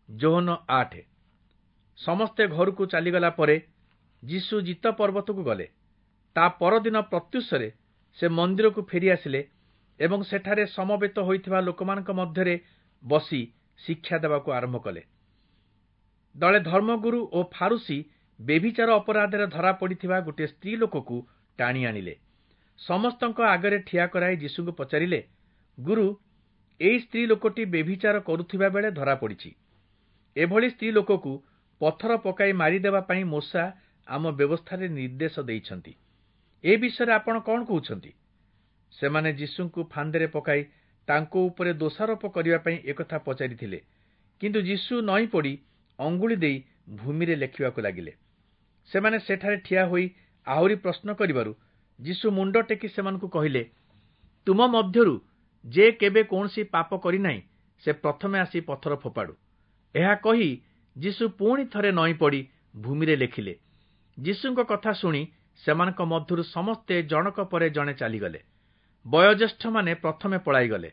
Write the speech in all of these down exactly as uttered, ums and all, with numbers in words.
ଯୋହନ ଆଠ। ସମସ୍ତେ ଘରକୁ ଚାଲିଗଲା ପରେ ଯୀଶୁ ଜିତ ପର୍ବତକୁ ଗଲେ। ତା ପରଦିନ ପ୍ରତ୍ୟୁଷରେ ସେ ମନ୍ଦିରକୁ ଫେରିଆସିଲେ ଏବଂ ସେଠାରେ ସମବେତ ହୋଇଥିବା ଲୋକମାନଙ୍କ ମଧ୍ୟରେ ବସି ଶିକ୍ଷା ଦେବାକୁ ଆରମ୍ଭ କଲେ। ଦଳେ ଧର୍ମଗୁରୁ ଓ ଫାରୂଶୀ ବ୍ୟଭିଚାର ଅପରାଧରେ ଧରା ପଡ଼ିଥିବା ଗୋଟିଏ ସ୍ତ୍ରୀ ଲୋକକୁ ଟାଣି ଆଣିଲେ। ସମସ୍ତଙ୍କ ଆଗରେ ଠିଆ କରାଇ ଯୀଶୁଙ୍କୁ ପଚାରିଲେ, ଗୁରୁ, ଏଇ ସ୍ତ୍ରୀ ଲୋକଟି ବ୍ୟଭିଚାର କରୁଥିବା ବେଳେ ଧରା ପଡ଼ିଛି। ଏଭଳି ସ୍ତ୍ରୀ ଲୋକକୁ ପଥର ପକାଇ ମାରିଦେବା ପାଇଁ ମୋଶା ଆମ ବ୍ୟବସ୍ଥାରେ ନିର୍ଦ୍ଦେଶ ଦେଇଛନ୍ତି। ଏ ବିଷୟରେ ଆପଣ କଣ କହୁଛନ୍ତି? ସେମାନେ ଯୀଶୁଙ୍କୁ ଫାନ୍ଦରେ ପକାଇ ତାଙ୍କ ଉପରେ ଦୋଷାରୋପ କରିବା ପାଇଁ ଏକଥା ପଚାରିଥିଲେ। କିନ୍ତୁ ଯୀଶୁ ନଇଁ ପଡ଼ି ଅଙ୍ଗୁଳି ଦେଇ ଭୂମିରେ ଲେଖିବାକୁ ଲାଗିଲେ। ସେମାନେ ସେଠାରେ ଠିଆ ହୋଇ ଆହୁରି ପ୍ରଶ୍ନ କରିବାରୁ ଯୀଶୁ ମୁଣ୍ଡ ଟେକି ସେମାନଙ୍କୁ କହିଲେ, ତୁମ ମଧ୍ୟରୁ ଯେ କେବେ କୌଣସି ପାପ କରିନାହିଁ, ସେ ପ୍ରଥମେ ଆସି ପଥର ଫୋପାଡ଼ୁ। ଏହା କହି ଯୀଶୁ ପୁଣି ଥରେ ନଇଁ ପଡ଼ି ଭୂମିରେ ଲେଖିଲେ। ଯୀଶୁଙ୍କ କଥା ଶୁଣି ସେମାନଙ୍କ ମଧ୍ୟରୁ ସମସ୍ତେ ଜଣକ ପରେ ଜଣେ ଚାଲିଗଲେ। ବୟୋଜ୍ୟେଷ୍ଠମାନେ ପ୍ରଥମେ ପଳାଇଗଲେ।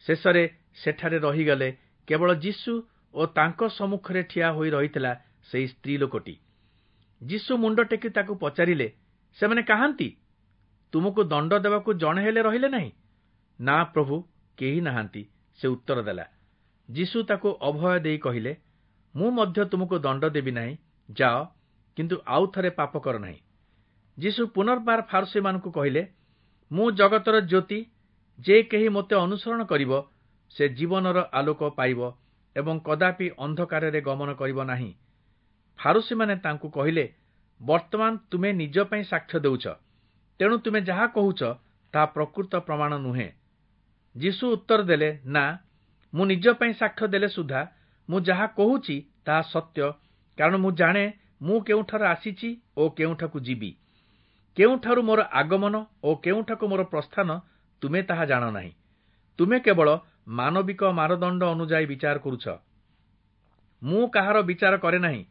ଶେଷରେ ସେଠାରେ ରହିଗଲେ କେବଳ ଯୀଶୁ ଓ ତାଙ୍କ ସମ୍ମୁଖରେ ଠିଆ ହୋଇ ରହିଥିଲା ସେହି ସ୍ତ୍ରୀ ଲୋକଟି। ଯୀଶୁ ମୁଣ୍ଡ ଟେକି ତାକୁ ପଚାରିଲେ, ସେମାନେ କାହାନ୍ତି? ତୁମକୁ ଦଣ୍ଡ ଦେବାକୁ ଜଣେ ହେଲେ ରହିଲେ ନାହିଁ? ନା ପ୍ରଭୁ, କେହି ନାହାନ୍ତି, ସେ ଉତ୍ତର ଦେଲା। ଯୀଶୁ ତାକୁ ଅଭୟ ଦେଇ କହିଲେ, ମୁଁ ମଧ୍ୟ ତୁମକୁ ଦଣ୍ଡ ଦେବି ନାହିଁ, ଯାଅ, କିନ୍ତୁ ଆଉ ଥରେ ପାପ କର ନାହିଁ। ଯୀଶୁ ପୁନର୍ବାର ଫାରୂଶୀମାନଙ୍କୁ କହିଲେ, ମୁଁ ଜଗତର ଜ୍ୟୋତି, ଯେ କେହି ମୋତେ ଅନୁସରଣ କରିବ, ସେ ଜୀବନର ଆଲୋକ ପାଇବ ଏବଂ କଦାପି ଅନ୍ଧକାରରେ ଗମନ କରିବ ନାହିଁ। ଫାରୂଶୀମାନେ ତାଙ୍କୁ କହିଲେ, ବର୍ତ୍ତମାନ ତୁମେ ନିଜ ପାଇଁ ସାକ୍ଷ୍ୟ ଦେଉଛ, ତେଣୁ ତୁମେ ଯାହା କହୁଛ ତାହା ପ୍ରକୃତ ପ୍ରମାଣ ନୁହେଁ। ଯୀଶୁ ଉତ୍ତର ଦେଲେ, ନା, ମୁଁ ନିଜ ପାଇଁ ସାକ୍ଷ୍ୟ ଦେଲେ ସୁଦ୍ଧା ମୁଁ ଯାହା କହୁଛି ତାହା ସତ୍ୟ, କାରଣ ମୁଁ ଜାଣେ ମୁଁ କେଉଁଠାରୁ ଆସିଛି ଓ କେଉଁଠାକୁ ଯିବି। କେଉଁଠାରୁ ମୋର ଆଗମନ ଓ କେଉଁଠାକୁ ମୋର ପ୍ରସ୍ଥାନ ତୁମେ ତାହା ଜାଣ ନାହିଁ। ତୁମେ କେବଳ ମାନବିକ ମାନଦଣ୍ଡ ଅନୁଯାୟୀ ବିଚାର କରୁଛ। ମୁଁ କାହାର ବିଚାର କରେ ନାହିଁ,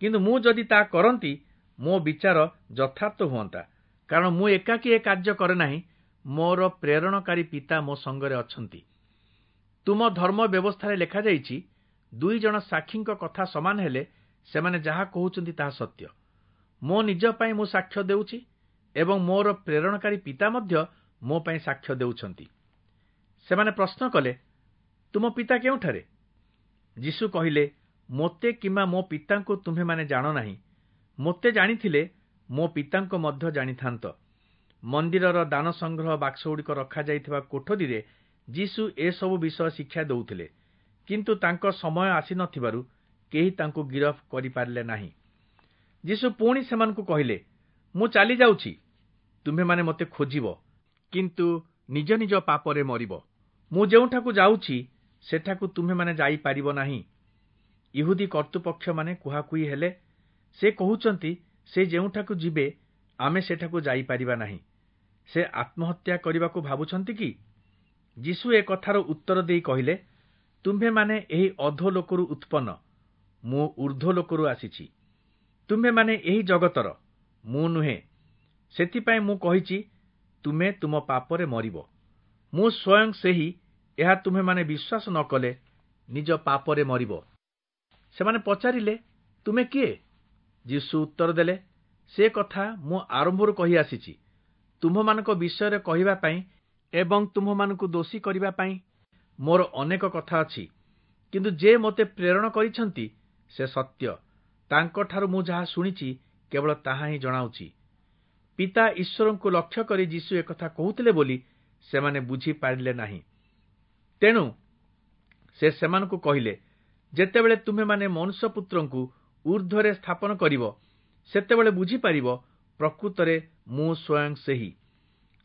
କିନ୍ତୁ ମୁଁ ଯଦି ତାହା କରନ୍ତି, ମୋ ବିଚାର ଯଥାର୍ଥ ହୁଅନ୍ତା, କାରଣ ମୁଁ ଏକାକୀ ଏ କାର୍ଯ୍ୟ କରେ ନାହିଁ, ମୋର ପ୍ରେରଣକାରୀ ପିତା ମୋ ସଙ୍ଗରେ ଅଛନ୍ତି। ତୁମ ଧର୍ମ ବ୍ୟବସ୍ଥାରେ ଲେଖାଯାଇଛି, ଦୁଇ ଜଣ ସାକ୍ଷୀଙ୍କ କଥା ସମାନ ହେଲେ ସେମାନେ ଯାହା କହୁଛନ୍ତି ତାହା ସତ୍ୟ। ମୋ ନିଜ ପାଇଁ ମୁଁ ସାକ୍ଷ୍ୟ ଦେଉଛି ଏବଂ ମୋର ପ୍ରେରଣକାରୀ ପିତା ମଧ୍ୟ ମୋ ପାଇଁ ସାକ୍ଷ୍ୟ ଦେଉଛନ୍ତି। ସେମାନେ ପ୍ରଶ୍ନ କଲେ, ତୁମ ପିତା କେଉଁଠାରେ? ଯୀଶୁ କହିଲେ, ମୋତେ କିମ୍ବା ମୋ ପିତାଙ୍କୁ ତୁମ୍ଭେମାନେ ଜାଣ ନାହିଁ। ମୋତେ ଜାଣିଥିଲେ ମୋ ପିତାଙ୍କୁ ମଧ୍ୟ ଜାଣିଥାନ୍ତ। ମନ୍ଦିରର ଦାନ ସଂଗ୍ରହ ବାକ୍ସଗୁଡ଼ିକ ରଖାଯାଇଥିବା କୋଠରୀରେ ଯୀଶୁ ଏସବୁ ବିଷୟ ଶିକ୍ଷା ଦେଉଥିଲେ, କିନ୍ତୁ ତାଙ୍କ ସମୟ ଆସିନଥିବାରୁ କେହି ତାଙ୍କୁ ଗିରଫ କରିପାରିଲେ ନାହିଁ। ଯୀଶୁ ପୁଣି ସେମାନଙ୍କୁ କହିଲେ, ମୁଁ ଚାଲିଯାଉଛି, ତୁମ୍ଭେମାନେ ମୋତେ ଖୋଜିବ, କିନ୍ତୁ ନିଜ ନିଜ ପାପରେ ମରିବ। ମୁଁ ଯେଉଁଠାକୁ ଯାଉଛି, ସେଠାକୁ ତୁମ୍ଭେମାନେ ଯାଇପାରିବ ନାହିଁ। ଇହୁଦୀ କର୍ତ୍ତୃପକ୍ଷମାନେ କୁହାକୁହି ହେଲେ, ସେ କହୁଛନ୍ତି, ସେ ଯେଉଁଠାକୁ ଯିବେ, ଆମେ ସେଠାକୁ ଯାଇପାରିବା ନାହିଁ। ସେ ଆତ୍ମହତ୍ୟା କରିବାକୁ ଭାବୁଛନ୍ତି କି? ଯୀଶୁ ଏ କଥାର ଉତ୍ତର ଦେଇ କହିଲେ, ତୁମ୍ଭେମାନେ ଏହି ଅଧୋଲୋକରୁ ଉତ୍ପନ୍ନ, ମୁଁ ଊର୍ଦ୍ଧ୍ୱଲୋକରୁ ଆସିଛି। ତୁମ୍ଭେମାନେ ଏହି ଜଗତର, ମୁଁ ନୁହେଁ। ସେଥିପାଇଁ ମୁଁ କହିଛି, ତୁମେ ତୁମ ପାପରେ ମରିବ। ମୁଁ ସ୍ୱୟଂ ସେହି, ଏହା ତୁମ୍ଭେମାନେ ବିଶ୍ୱାସ ନ କଲେ ନିଜ ପାପରେ ମରିବ। ସେମାନେ ପଚାରିଲେ, ତୁମେ କିଏ? ଯୀଶୁ ଉତ୍ତର ଦେଲେ, ସେ କଥା ମୁଁ ଆରମ୍ଭରୁ କହି ଆସିଛି। ତୁମ୍ଭମାନଙ୍କ ବିଷୟରେ କହିବା ପାଇଁ ଏବଂ ତୁମ୍ଭମାନଙ୍କୁ ଦୋଷୀ କରିବା ପାଇଁ ମୋର ଅନେକ କଥା ଅଛି, କିନ୍ତୁ ଯେ ମୋତେ ପ୍ରେରଣ କରିଛନ୍ତି ସେ ସତ୍ୟ। ତାଙ୍କଠାରୁ ମୁଁ ଯାହା ଶୁଣିଛି କେବଳ ତାହା ହିଁ ଜଣାଉଛି। ପିତା ଈଶ୍ୱରଙ୍କୁ ଲକ୍ଷ୍ୟ କରି ଯୀଶୁ ଏକଥା କହୁଥିଲେ ବୋଲି ସେମାନେ ବୁଝିପାରିଲେ ନାହିଁ। ତେଣୁ ସେ ସେମାନଙ୍କୁ କହିଲେ, ଯେତେବେଳେ ତୁମ୍ଭେମାନେ ମନୁଷ୍ୟପୁତ୍ରଙ୍କୁ ଊର୍ଦ୍ଧ୍ୱରେ ସ୍ଥାପନ କରିବ, ସେତେବେଳେ ବୁଝିପାରିବ ପ୍ରକୃତରେ ମୁଁ ସ୍ୱୟଂ ସେହି।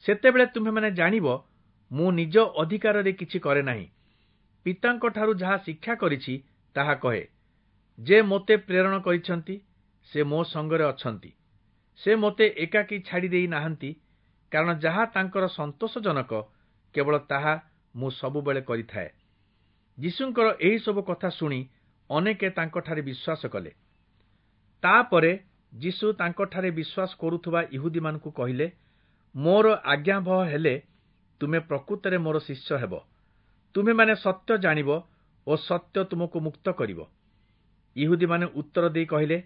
ସେତେବେଳେ ତୁମ୍ଭେମାନେ ଜାଣିବ ମୁଁ ନିଜ ଅଧିକାରରେ କିଛି କରେ ନାହିଁ, ପିତାଙ୍କଠାରୁ ଯାହା ଶିକ୍ଷା କରିଛି ତାହା କହେ। ଯେ ମୋତେ ପ୍ରେରଣ କରିଛନ୍ତି ସେ ମୋ ସଙ୍ଗରେ ଅଛନ୍ତି। ସେ ମୋତେ ଏକାକୀ ଛାଡ଼ି ଦେଇ ନାହାନ୍ତି, କାରଣ ଯାହା ତାଙ୍କର ସନ୍ତୋଷଜନକ କେବଳ ତାହା ମୁଁ ସବୁବେଳେ କରିଥାଏ। ଯୀଶୁଙ୍କର ଏହିସବୁ କଥା ଶୁଣି ଅନେକେ ତାଙ୍କଠାରେ ବିଶ୍ୱାସ କଲେ। ତାପରେ ଯୀଶୁ ତାଙ୍କଠାରେ ବିଶ୍ୱାସ କରୁଥିବା ଇହୁଦୀମାନଙ୍କୁ କହିଲେ, ମୋର ଆଜ୍ଞାବହ ହେଲେ ତୁମେ ପ୍ରକୃତରେ ମୋର ଶିଷ୍ୟ ହେବ। ତୁମେମାନେ ସତ୍ୟ ଜାଣିବ ଓ ସତ୍ୟ ତୁମକୁ ମୁକ୍ତ କରିବ। ଇହୁଦୀମାନେ ଉତ୍ତର ଦେଇ କହିଲେ,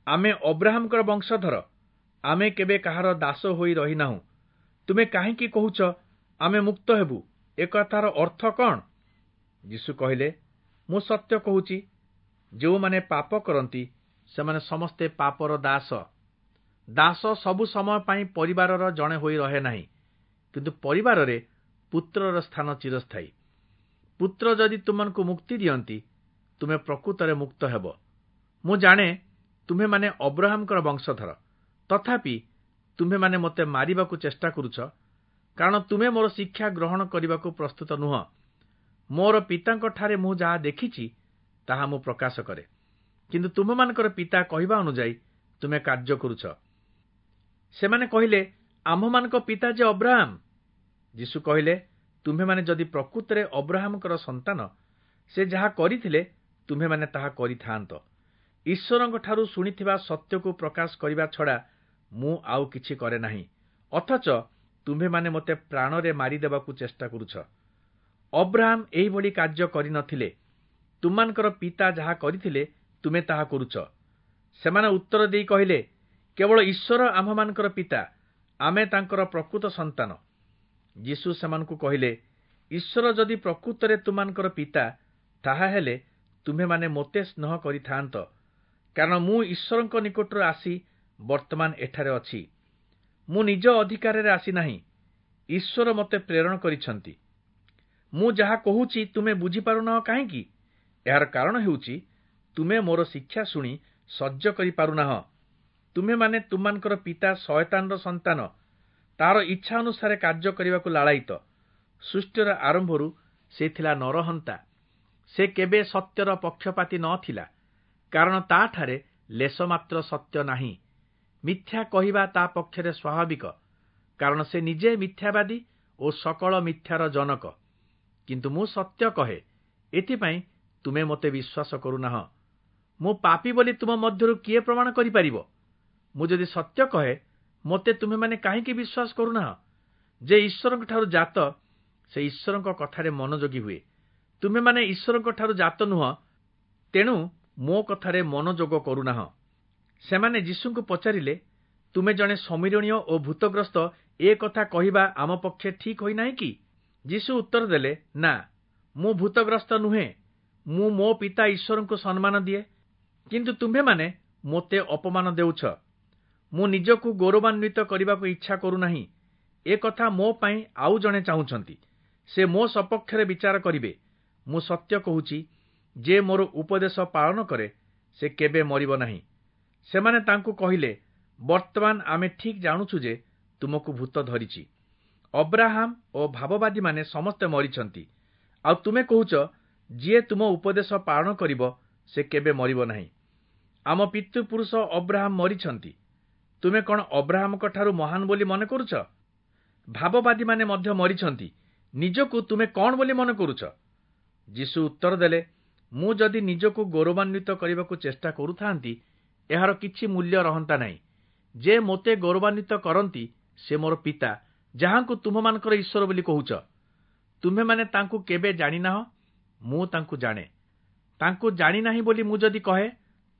ଆମେ ଅବ୍ରାହାମଙ୍କର ବଂଶଧର, ଆମେ କେବେ କାହାର ଦାସ ହୋଇ ରହିନାହୁଁ। ତୁମେ କାହିଁକି କହୁଛ ଆମେ ମୁକ୍ତ ହେବୁ? ଏ କଥାର ଅର୍ଥ କ'ଣ? ଯୀଶୁ କହିଲେ, ମୁଁ ସତ୍ୟ କହୁଛି, ଯେଉଁମାନେ ପାପ କରନ୍ତି ସେମାନେ ସମସ୍ତେ ପାପର ଦାସ। ଦାସ ସବୁ ସମୟ ପାଇଁ ପରିବାରର ଜଣେ ହୋଇ ରହେ ନାହିଁ, କିନ୍ତୁ ପରିବାରରେ ପୁତ୍ରର ସ୍ଥାନ ଚିରସ୍ଥାୟୀ। ପୁତ୍ର ଯଦି ତୁମମାନଙ୍କୁ ମୁକ୍ତି ଦିଅନ୍ତି, ତୁମେ ପ୍ରକୃତରେ ମୁକ୍ତ ହେବ। ମୁଁ ଜାଣେ ତୁମ୍ଭେମାନେ ଅବ୍ରାହାମଙ୍କର ବଂଶଧର, ତଥାପି ତୁମ୍ଭେମାନେ ମୋତେ ମାରିବାକୁ ଚେଷ୍ଟା କରୁଛ, କାରଣ ତୁମେ ମୋର ଶିକ୍ଷା ଗ୍ରହଣ କରିବାକୁ ପ୍ରସ୍ତୁତ ନୁହଁ। ମୋର ପିତାଙ୍କଠାରେ ମୁଁ ଯାହା ଦେଖିଛି ତାହା ମୁଁ ପ୍ରକାଶ କରେ, କିନ୍ତୁ ତୁମ୍ଭମାନଙ୍କର ପିତା କହିବା ଅନୁଯାୟୀ ତୁମେ କାର୍ଯ୍ୟ କରୁଛ। ସେମାନେ କହିଲେ, ଆମ୍ଭମାନଙ୍କ ପିତା ଯେ ଅବ୍ରାହାମ। ଯୀଶୁ କହିଲେ, ତୁମ୍ଭେମାନେ ଯଦି ପ୍ରକୃତରେ ଅବ୍ରାହାମଙ୍କର ସନ୍ତାନ, ସେ ଯାହା କରିଥିଲେ ତୁମ୍ଭେମାନେ ତାହା କରିଥାଆନ୍ତ। ଈଶ୍ୱରଙ୍କଠାରୁ ଶୁଣିଥିବା ସତ୍ୟକୁ ପ୍ରକାଶ କରିବା ଛଡ଼ା ମୁଁ ଆଉ କିଛି କରେ ନାହିଁ, ଅଥଚ ତୁମ୍ଭେମାନେ ମୋତେ ପ୍ରାଣରେ ମାରିଦେବାକୁ ଚେଷ୍ଟା କରୁଛ। ଅବ୍ରାହାମ ଏହିଭଳି କାର୍ଯ୍ୟ କରିନଥିଲେ। ତୁମମାନଙ୍କର ପିତା ଯାହା କରିଥିଲେ ତୁମେ ତାହା କରୁଛ। ସେମାନେ ଉତ୍ତର ଦେଇ କହିଲେ, କେବଳ ଈଶ୍ୱର ଆମ୍ଭମାନଙ୍କର ପିତା, ଆମେ ତାଙ୍କର ପ୍ରକୃତ ସନ୍ତାନ। ଯୀଶୁ ସେମାନଙ୍କୁ କହିଲେ, ଈଶ୍ୱର ଯଦି ପ୍ରକୃତରେ ତୁମମାନଙ୍କର ପିତା, ତାହାହେଲେ ତୁମ୍ଭେମାନେ ମୋତେ ସ୍ନେହ କରିଥାଆନ୍ତ, କାରଣ ମୁଁ ଈଶ୍ୱରଙ୍କ ନିକଟରୁ ଆସି ବର୍ତ୍ତମାନ ଏଠାରେ ଅଛି। ମୁଁ ନିଜ ଅଧିକାରରେ ଆସିନାହିଁ, ଈଶ୍ୱର ମୋତେ ପ୍ରେରଣ କରିଛନ୍ତି। ମୁଁ ଯାହା କହୁଛି ତୁମେ ବୁଝିପାରୁନାହ କାହିଁକି? ଏହାର କାରଣ ହେଉଛି ତୁମେ ମୋର ଶିକ୍ଷା ଶୁଣି ସହ୍ୟ କରିପାରୁନାହ। ତୁମେମାନେ ତୁମମାନଙ୍କର ପିତା ଶୟତାନର ସନ୍ତାନ, ତାର ଇଚ୍ଛା ଅନୁସାରେ କାର୍ଯ୍ୟ କରିବାକୁ ଲାଳାୟିତ। ସୃଷ୍ଟିର ଆରମ୍ଭରୁ ସେ ଥିଲା ନରହନ୍ତା। ସେ କେବେ ସତ୍ୟର ପକ୍ଷପାତୀ ନ ଥିଲା, କାରଣ ତାଠାରେ ଲେଶମାତ୍ର ସତ୍ୟ ନାହିଁ। ମିଥ୍ୟା କହିବା ତା ପକ୍ଷରେ ସ୍ୱାଭାବିକ, କାରଣ ସେ ନିଜେ ମିଥ୍ୟାବାଦୀ ଓ ସକଳ ମିଥ୍ୟାର ଜନକ। କିନ୍ତୁ ମୁଁ ସତ୍ୟ କହେ, ଏଥିପାଇଁ ତୁମେ ମୋତେ ବିଶ୍ୱାସ କରୁନାହ। ମୁଁ ପାପୀ ବୋଲି ତୁମ ମଧ୍ୟରୁ କିଏ ପ୍ରମାଣ କରିପାରିବ? ମୁଁ ଯଦି ସତ୍ୟ କହେ, ମୋତେ ତୁମେମାନେ କାହିଁକି ବିଶ୍ୱାସ କରୁନାହ? ଯେ ଈଶ୍ୱରଙ୍କଠାରୁ ଜାତ, ସେ ଈଶ୍ୱରଙ୍କ କଥାରେ ମନୋଯୋଗୀ ହୁଏ। ତୁମେମାନେ ଈଶ୍ୱରଙ୍କଠାରୁ ଜାତ ନୁହଁ, ତେଣୁ ମୋ କଥାରେ ମନୋଯୋଗ କରୁନାହ। ସେମାନେ ଯୀଶୁଙ୍କୁ ପଚାରିଲେ, ତୁମେ ଜଣେ ଶମିରୋଣୀୟ ଓ ଭୂତଗ୍ରସ୍ତ, ଏ କଥା କହିବା ଆମ ପକ୍ଷେ ଠିକ୍ ହୋଇନାହିଁ କି? ଯୀଶୁ ଉତ୍ତର ଦେଲେ, ନା, ମୁଁ ଭୂତଗ୍ରସ୍ତ ନୁହେଁ। ମୁଁ ମୋ ପିତା ଈଶ୍ୱରଙ୍କୁ ସମ୍ମାନ ଦିଏ, କିନ୍ତୁ ତୁମ୍ଭେମାନେ ମୋତେ ଅପମାନ ଦେଉଛ। ମୁଁ ନିଜକୁ ଗୌରବାନ୍ୱିତ କରିବାକୁ ଇଚ୍ଛା କରୁନାହିଁ। ଏ କଥା ମୋ ପାଇଁ ଆଉ ଜଣେ ଚାହୁଁଛନ୍ତି, ସେ ମୋ ସପକ୍ଷରେ ବିଚାର କରିବେ। ମୁଁ ସତ୍ୟ କହୁଛି, ଯେ ମୋର ଉପଦେଶ ପାଳନ କରେ ସେ କେବେ ମରିବ ନାହିଁ। ସେମାନେ ତାଙ୍କୁ କହିଲେ, ବର୍ତ୍ତମାନ ଆମେ ଠିକ୍ ଜାଣୁଛୁ ଯେ ତୁମକୁ ଭୂତ ଧରିଛି। ଅବ୍ରାହାମ ଓ ଭାବବାଦୀମାନେ ସମସ୍ତେ ମରିଛନ୍ତି, ଆଉ ତୁମେ କହୁଛ ଯିଏ ତୁମ ଉପଦେଶ ପାଳନ କରିବ ସେ କେବେ ମରିବ ନାହିଁ। ଆମ ପିତୃପୁରୁଷ ଅବ୍ରାହାମ ମରିଛନ୍ତି, ତୁମେ କ'ଣ ଅବ୍ରାହାମଙ୍କଠାରୁ ମହାନ ବୋଲି ମନେ କରୁଛ? ଭାବବାଦୀମାନେ ମଧ୍ୟ ମରିଛନ୍ତି, ନିଜକୁ ତୁମେ କ'ଣ ବୋଲି ମନେ କରୁଛ? ଯୀଶୁ ଉତ୍ତର ଦେଲେ, ମୁଁ ଯଦି ନିଜକୁ ଗୌରବାନ୍ୱିତ କରିବାକୁ ଚେଷ୍ଟା କରୁଥାନ୍ତି, ଏହାର କିଛି ମୂଲ୍ୟ ରହନ୍ତା ନାହିଁ। ଯେ ମୋତେ ଗୌରବାନ୍ୱିତ କରନ୍ତି ସେ ମୋର ପିତା, ଯାହାଙ୍କୁ ତୁମ୍ଭମାନଙ୍କର ଈଶ୍ୱର ବୋଲି କହୁଛ। ତୁମ୍ଭେମାନେ ତାଙ୍କୁ କେବେ ଜାଣିନାହ, ମୁଁ ତାଙ୍କୁ ଜାଣେ। ତାଙ୍କୁ ଜାଣିନାହିଁ ବୋଲି ମୁଁ ଯଦି କହେ,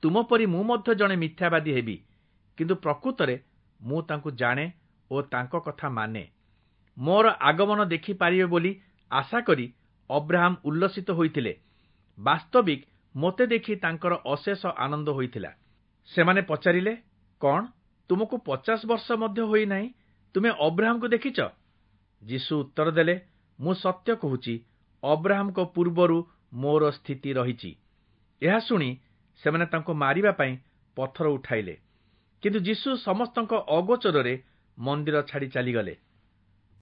ତୁମ ପରି ମୁଁ ମଧ୍ୟ ଜଣେ ମିଥ୍ୟାବାଦୀ ହେବି। କିନ୍ତୁ ପ୍ରକୃତରେ ମୁଁ ତାଙ୍କୁ ଜାଣେ ଓ ତାଙ୍କ କଥା ମାନେ। ମୋର ଆଗମନ ଦେଖିପାରିବେ ବୋଲି ଆଶା କରି ଅବ୍ରାହାମ ଉଲ୍ଲସିତ ହୋଇଥିଲେ। ବାସ୍ତବିକ ମୋତେ ଦେଖି ତାଙ୍କର ଅଶେଷ ଆନନ୍ଦ ହୋଇଥିଲା। ସେମାନେ ପଚାରିଲେ, କ'ଣ ତୁମକୁ ପଚାଶ ବର୍ଷ ମଧ୍ୟ ହୋଇନାହିଁ, ତୁମେ ଅବ୍ରାହାମକୁ ଦେଖିଛ? ଯୀଶୁ ଉତ୍ତର ଦେଲେ, ମୁଁ ସତ୍ୟ କହୁଛି, ଅବ୍ରାହାମଙ୍କ ପୂର୍ବରୁ ମୋର ସ୍ଥିତି ରହିଛି। ଏହା ଶୁଣି ସେମାନେ ତାଙ୍କୁ ମାରିବା ପାଇଁ ପଥର ଉଠାଇଲେ। କିନ୍ତୁ ଯୀଶୁ ସମସ୍ତଙ୍କ ଅଗୋଚରରେ ମନ୍ଦିର ଛାଡ଼ି ଚାଲିଗଲେ।